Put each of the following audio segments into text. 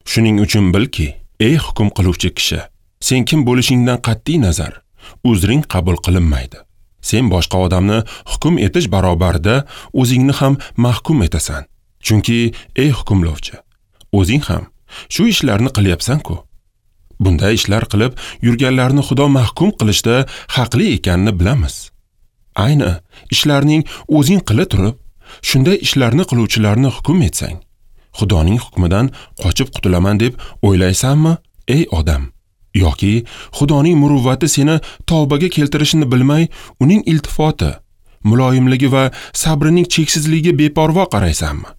Shuning uchun bilki, ey hukm qiluvchi kishi, sen kim bo'lishingdan qat'iy nazar, uzring qabul qilinmaydi. Sen boshqa odamni hukm etish barobarida o'zingni ham mahkum etasan. Chunki ey hukmlovchi, o'zing ham shu ishlarni qilyapsan-ku. Bunday ishlar qilib yurganlarni Xudo mahkum qilishda haqli ekanini bilamiz. Ayni ishlarning o'zing qila turib, shunday ishlarni qiluvchilarni hukm etsang, Xudoning hukmidan qochib qutulaman deb o'ylaysanmi, ey odam? Yoki Xudoning muruvvati seni tavbaga keltirishini bilmay, uning iltifoti, muloyimligi va sabrining cheksizligiga beparvo qaraysanmi?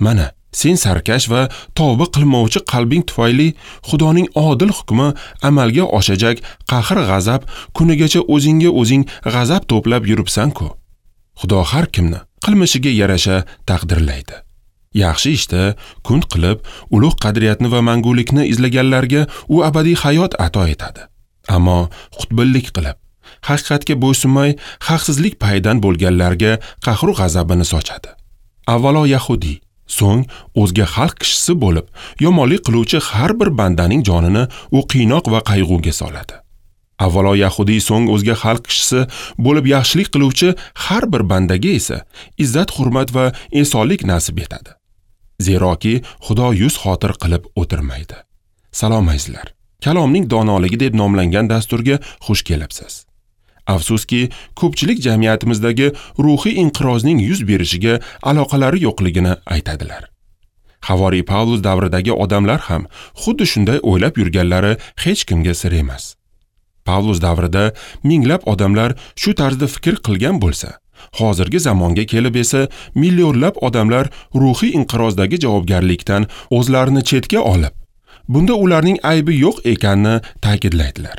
Mana, sen sarkash va tavba qilmovchi qalbing tufayli Xudoning odil hukmi amalga oshajak qahr-g'azab kunigacha o'zingga o'zing g'azab to'plab yuribsan-ku. Xudo har kimni qilmishiga yarasha taqdirlaydi. Yaxshi ishda kun qilib, ulug' qadriyatni va mangulikni izlaganlarga u abadiy hayot ato etadi. Ammo xutbillik qilib, haqiqatga bo'ysunmay, haqsizlik payidan bo'lganlarga qahru g'azabini sochadi. Avvalo yahudi, so'ng o'zga xalq kishisi bo'lib, yomonlik qiluvchi har bir bandaning jonini u qiynoq va qayg'uga soladi. Avvalo yahudi, so'ng o'zga xalq kishisi bo'lib yaxshilik qiluvchi har bir bandaga esa izzat, hurmat va esonlik nasib etadi. Zeroki Xudo yuz xotir qilib o'tirmaydi. Salom azizlar. Kalomning donoligi deb nomlangan dasturga xush kelibsiz. Afsuski, ko'pchilik jamiyatimizdagi ruhiy inqirozning yuz berishiga aloqalari yo'qligini aytadilar. Havoriy Pavlus davridagi odamlar ham xuddi shunday o'ylab yurganlari hech kimga sir emas. Pavlus davrida minglab odamlar shu tarzda fikr qilgan bo'lsa, hozirgi zamonga kelib esa millionlab odamlar ruhiy inqirozdagi javobgarlikdan o'zlarini chetga olib, bunda ularning aybi yo'q ekanini ta'kidlaydilar.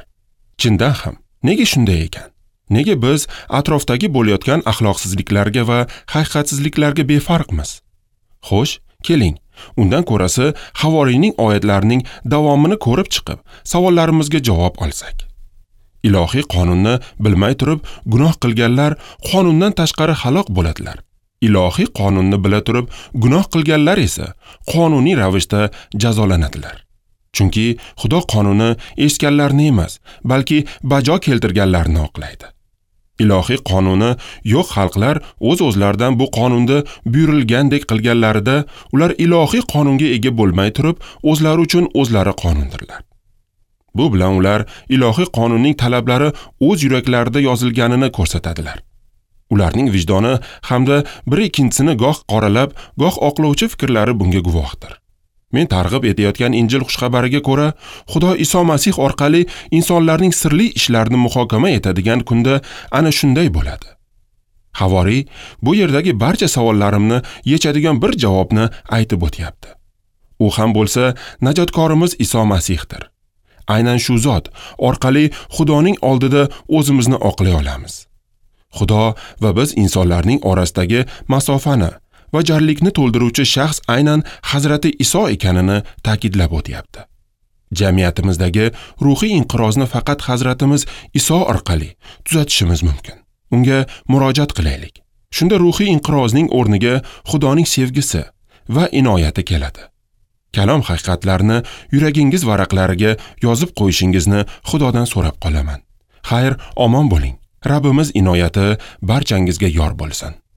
Chindan ham, nega shunday ekan? Nega biz atrofdagi bo'layotgan axloqsizliklarga va haqiqatsizliklarga befarqmiz? Xo'sh, keling, undan ko'rasi havoriyning oyatlarining davomini ko'rib chiqib, savollarimizga javob olsak. Ilohiy qonunni bilmay turib gunoh qilganlar qonundan tashqari halok bo'ladilar. Ilohiy qonunni bila turib gunoh qilganlar esa qonuniy ravishda jazolanadilar. Chunki Xudo qonuni eshitganlarni emas, balki bajo keltirganlarni oqlaydi. Ilohiy qonuni yo'q xalqlar o'z-o'zlaridan bu qonunda buyurilgandek qilganlarida ular ilohiy qonunga ega bo'lmay turib o'zlari uchun o'zlari qonundirlar. Bu bilan ular ilohiy qonunning talablari o'z yuraklarida yozilganini ko'rsatadilar. Ularning vijdoni hamda bir ikkinchisini goh qoralab, goh oqlovchi fikrlari bunga guvohdir. Men targ'ib etayotgan Injil xushxabariga ko'ra, Xudo Iso Masih orqali insonlarning sirli ishlarini muhokama etadigan kunda ana shunday bo'ladi. Havoriy bu yerdagi barcha savollarimni yechadigan bir javobni aytib o'tyapti. U ham bo'lsa najotkorimiz Iso Masihdir. Aynan shu zot orqali Xudoning oldida o'zimizni oqlay olamiz. Xudo va biz insonlarning orasidagi masofani va jarlikni to'ldiruvchi shaxs aynan Hazrati Iso ekanini ta'kidlab o'tyapti. Jamiyatimizdagi ruhiy inqirozni faqat Hazratimiz Iso orqali tuzatishimiz mumkin. Unga murojaat qilaylik. Shunda ruhiy inqirozning o'rniga Xudoning sevgisi va inoyati keladi. Kalom haqiqatlarini yuragingiz varaqlariga yozib qo'yishingizni Xudodan so'rab qolaman. Xayr, omon bo'ling. Rabbimiz inoyati barchangizga yor bo'lsin.